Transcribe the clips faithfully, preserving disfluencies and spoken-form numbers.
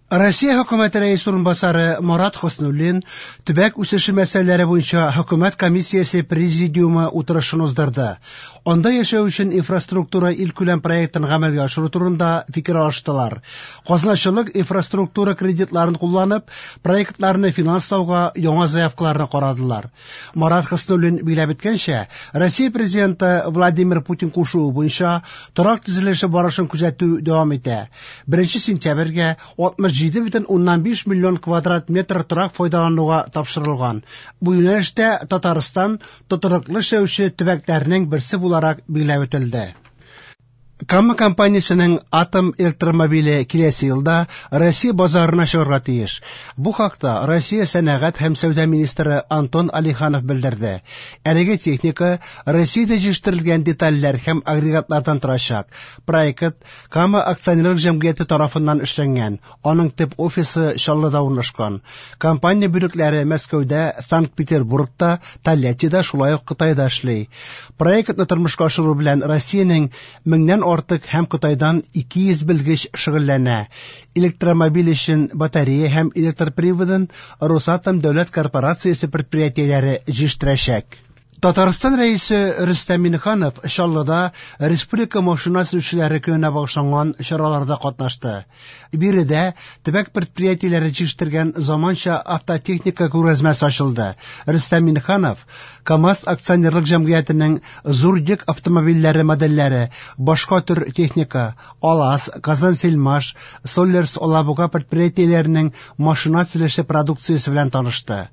Россия Хөкүмәте Рәисе урынбасары Марат Хөснуллин төбәк үсеше мәсьәләләре буенча Хөкүмәт комиссиясе президиумы утырышын уздырды. Анда яшәү өчен инфраструктура илкүләм проектын гамәлгә ашыру турында фикер алыштылар. Казначылык инфраструктура кредитларын кулланып, проектларны финанслауга яңа заявкаларны карадылар. Марат Хөснуллин билгеләп үткәнчә, Россия Президенты Владимир Путин кушуы буенча торак төзелеше барышын күзәтү дәвам итә. беренче сентябрьгә алтмыш җиде бөтен уннан биш миллион квадрат метр торак файдалануга тапшырылган. Бу юнәлештә Татарстан тотрыклы эшләүче төбәкләрнең берсе буларак билгеләп үтелде. Кама компаниясенең атом электромобиле киләсе елда Россия базарына чыгарга тиеш. Бу хакта Россия сәнәгать һәм сәүдә министры Антон Алиханов белдерде. Әлеге техника Россиядә җитештерелгән детальләр һәм агрегатлардан торачак. Проект Кама акционерлык җәмгыяте тарафыннан эшләнгән. Аның төп офисы Чаллыда урнашкан. Компания бүлекләре Мәскәүдә, Санкт-Петербургта, Тольяттида, шулай ук Кытайда эшли. Проектны тормышка ашыру белән Россиянең меңнән артык һәм Кытайдан ике йөз белгеч шөгыльләнә. Электромобиль өчен батарея һәм электр приводын Росатом дәүләт корпорациясе предприятиеләре җитештерәчәк. Татарстан Рәисе Рөстәм Миңнеханов Чаллыда Республика машина төзүчеләре көненә багышланган чараларда катнашты. Биредә төбәк предприятиеләре җитештергән заманча автотехника күргәзмәсе ачылды. Рөстәм Миңнеханов КАМАЗ акционерлык җәмгыятенең зур йөк автомобильләре модельләре, башка төр техника, АЛАЗ, Казансельмаш, Соллерс Алабуга предприятиеләренең машина төзелеше продукциясе белән танышты.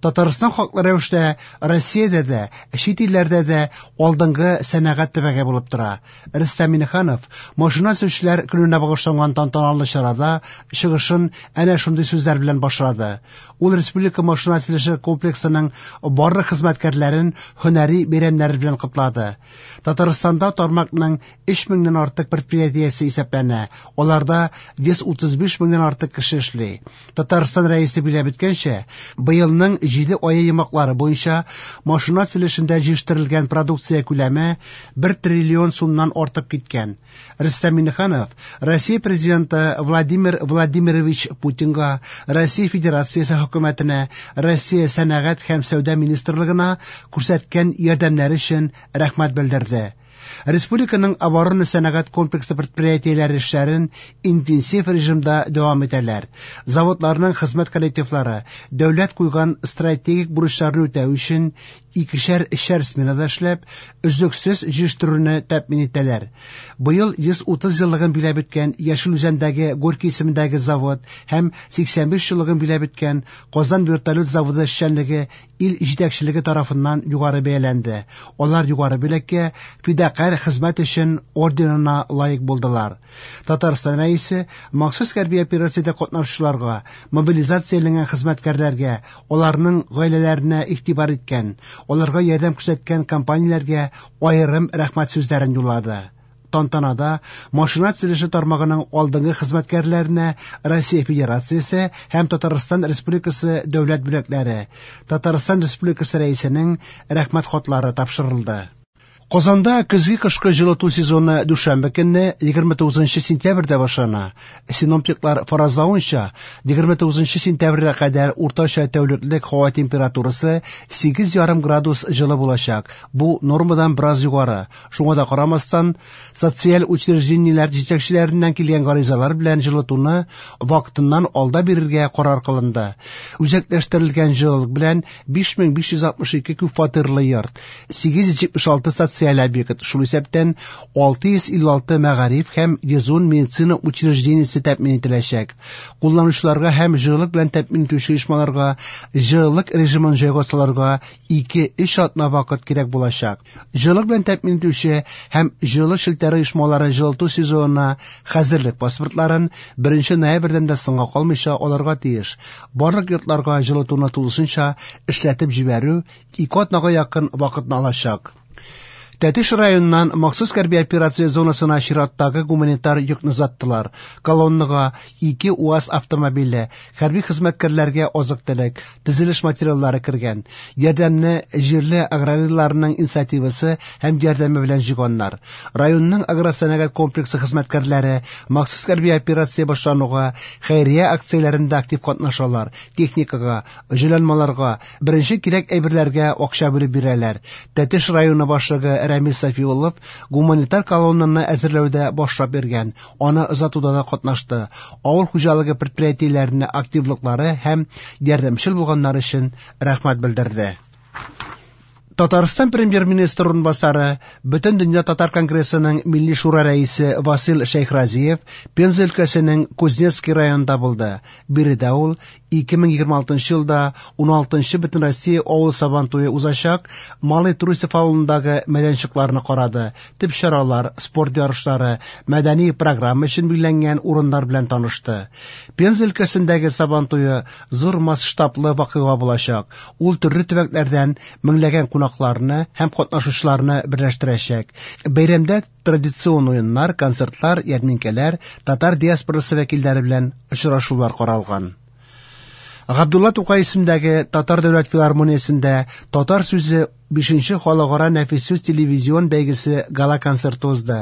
Татарстан хаклы рәвештә Россиядә дә, чит илләрдә дә алдынгы сәнәгать төбәге булып тора. Рөстәм Миңнеханов машина төзүчеләр көненә багышланган тантаналы чарада чыгышын әнә шундый сүзләр белән башлады. Ул республика машина төзелеше комплексының барлык хезмәткәрләрен һөнәри бәйрәмнәре белән котлады. Татарстанда тармакның өч меңнән артык предприятиесе исәпләнә. Аларда йөз утыз биш меңнән артык кеше эшли. Татарстан Рәисе билгеләп үткәнчә, быелның җиде ае йомгаклары буенча машина төзелешендә җитештерелгән продукция күләме бер триллион сумнан артып киткән. Рөстәм Миңнеханов Россия Президенты Владимир Владимирович Путинга, Россия Федерациясе хөкүмәтенә, Россия Сәнәгать һәм Сәүдә министрлыгына күрсәткән ярдәмнәре өчен рәхмәт белдерде. Республиканың оборона сәнәгать комплексы предприятиеләре эшләрен интенсив режимда дәвам итәләр. Заводларның хезмәт коллективлары дәүләт куйган стратегик бурычларны үтәү өчен икешәр өчәр сменада эшләп, өзлексез җитештерүне тәэмин итәләр. Быел йөз утыз еллыгын биләп үткән Яшел Үзәндәге Горький исемендәге завод һәм сиксән биш еллыгын биләп үткән Казан вертолет заводы эшчәнлеге ил җитәкчелеге тарафыннан югары бәяләнде. Алар югары бүләккә фидакарь хезмәт өчен орденына лаек булдылар. Татарстан Рәисе махсус хәрби операциядә катнашучыларга, мобилизацияләнгән хезмәткәрләргә, аларның гаиләләренә игътибар иткән, аларга ярдәм күрсәткән компанияләргә аерым рәхмәт сүзләрен юллады. Тантанада машина төзелеше тармагының алдынгы хезмәткәрләренә Россия Федерациясе һәм Татарстан Республикасы дәүләт бүләкләре, Татарстан Республикасы Рәисенең рәхмәт хатлары тапшырылды. Казанда көзге кышкы җылыту сезоны дүшәмбе көнне егерме тугызынчы сентябрьдә башлана. Синоптиклар фаразлавынча, егерме тугызынчы сентябрьгә кадәр уртача тәүлеклек һава температурасы сигез ярым градус җылы булачак. Бу нормадан бераз югары. Шуңа да карамастан, социаль учреждениеләр җитәкчеләреннән килгән гаризалар белән җылытуны вакытыннан алда бирергә карар кылынды. Үзәкләштерелгән җылылык белән биш мең биш йөз алтмыш ике күп фатирлы йорт, сигез йөз җитмеш алты социаль объект, шул исәптән алты йөз илле алты мәгариф һәм йөз ун медицина учреждениесе тәэмин ителәчәк. Кулланучыларга һәм җылылык белән тәэмин итүче оешмаларга җылылык режимын җайга салырга ике-өч атна вакыт кирәк булачак. Җылылык белән тәэмин итүче һәм җылылык челтәре оешмалары җылыту сезонына хәзерлек паспортларын беренче ноябрьдән дә соңга калмыйча алырга тиеш. Барлык йортларга җылытуны тулысынча эшләтеп җибәрү ике атнага якын вакытны алачак. Тәтеш районыннан махсус хәрби операция зонасына чираттагы гуманитар йөкне озаттылар. Колоннага ике УАЗ автомобиле, хәрби хезмәткәрләргә азык-төлек, төзелеш материаллары кергән. Ярдәмне җирле аграрийларның инициативасы һәм ярдәме белән җыйганнар. Районның агросәнәгать комплексы хезмәткәрләре махсус хәрби операция башлануга хәйрия акцияләрендә актив катнашалар, техникага, җайланмаларга, беренче кирәк әйберләргә акча бүлеп бирәләр. Тәтеш районы башлыгы Рәмис Сафиуллов гуманитар колоннаны әзерләүдә башлап йөргән, аны озатуда да катнашты. Авыл хуҗалыгы предприятиеләренә активлыклары һәм ярдәмчел булганнары өчен рәхмәт белдерде. Татарстан премьер-министры урынбасары, Бөтендөнья татар конгрессының Милли шура рәисе Васил Шәйхразиев Пенза өлкәсенең Кузнецкий районында булды. Биредә ул ике мең егерме алтынчы елда ун алтынчы Бөтенроссия авыл сабантуе узачак Малый Трусов авылындагы мәйданчыкларны карады. Төп чаралар, спорт ярышлары, мәдәни программа өчен билгеләнгән урыннар белән танышты. Пенза өлкәсендәге сабантуе зур масштаблы вакыйга булачак. Ул төрле төбәкләрдән меңләгән кунакларны һәм катнашучыларны берләштерәчәк. Бәйрәмдә традицион уеннар, концертлар, ярминкәләр, татар диаспорасы вәкилләре белән очрашулар каралган. Габдулла Тукай исемендәге Татар дәүләт филармониясендә Татар сүзе бишенче халыкара нәфис сүз телевизион бәйгесе гала-концерты узды.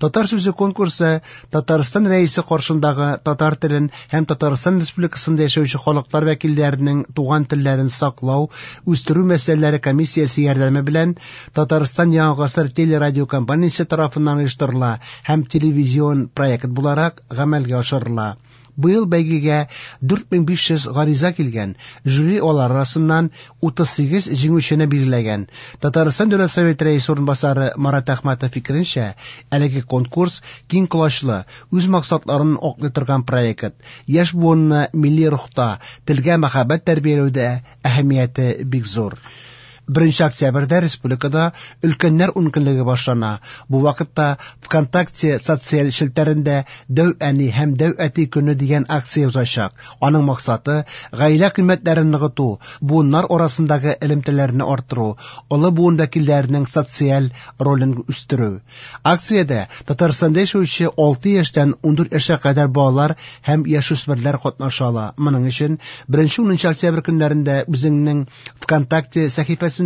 Татар сүзе конкурсы Татарстан рәисе каршындагы татар телен һәм Татарстан Республикасында яшәүче халыклар вәкилләренең туган телләрен саклау, үстерү мәсьәләләре комиссиясе ярдәме белән Татарстан Яңа гасыр телерадиокомпаниясе тарафыннан оештырыла һәм телевизион проект буларак гамәлгә ашырыла. Быел бәйгегә дүрт мең биш йөз гариза килгән, жюри алар арасыннан утыз сигез җиңүчене билгеләгән. Татарстан Дәүләт Советы рәисе урынбасары Марат Әхмәтов фикеренчә, әлеге конкурс киң колачлы, үз максатларын аклый торган проект. Яшь буынны милли рухта, телгә мәхәббәт тәрбияләүдә әһәмияте бик зур. Беренче октябрьдә республикада өлкәннәр ункөнлеге башлана. Бу вакытта ВКонтакте социаль челтәрендә Дәү әни һәм Дәү әти көне дигән акция узачак. Аның максаты гаилә кыйммәтләрен ныгыту, буыннар арасындагы элемтәләрне арттыру, олы буын вәкилләренең социаль ролен үстерү. Акциядә Татарстанда яшәүче алты яшьтән ундүрт яшькә кадәр балалар һәм яшүсмерләр катнаша ала. Моның өчен беренче унынчы октябрь көннәрендә үзеңнең ВКонтакте сәхифәсендә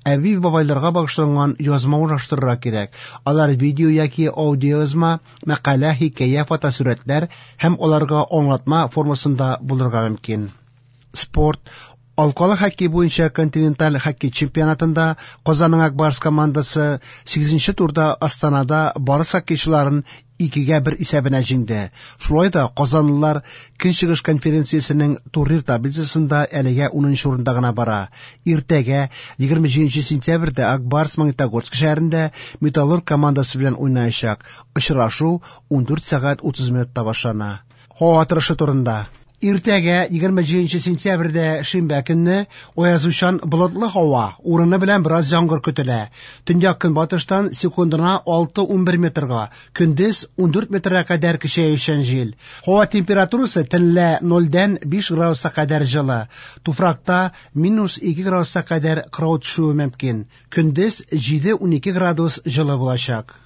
әби-бабайларга багышланган язма урнаштырырга кирәк. Алар видео яки аудиоязма, мәкалә, хикәя, фотосурәтләр һәм аларга аңлатма формасында булырга мөмкин. Спорт. Алкалы хоккей буенча континенталь хоккей чемпионатында Казанның Ак Барс командасы сигезенче турда Астанада Барыс хоккейчыларын икегә бер исәбенә җиңде. Шулай да казанлылар Көнчыгыш конференциясенең турнир таблицасында әлегә унынчы урында гына бара. Иртәгә егерме җиденче сентябрьдә Ак Барс Магнитогорск шәһәрендә Металлург командасы белән уйнаячак. Очрашу ундүрт сәгать утыз минутта башлана. Һава торышы турында. Иртәгә егерме җиденче сентябрьдә шимбә көнне аязучан болытлы һава, урыны белән бераз яңгыр көтелә. Төньяк көнбатыштан секундына алты унбер метрга, көндез ундүрт метрга кадәр көчәючән җил. Һава температурасы төнлә нольдән биш градуска кадәр җылы. Туфракта минус ике градуска кадәр кырау төшүе мөмкин. Көндез җиде унике градус җылы булачак.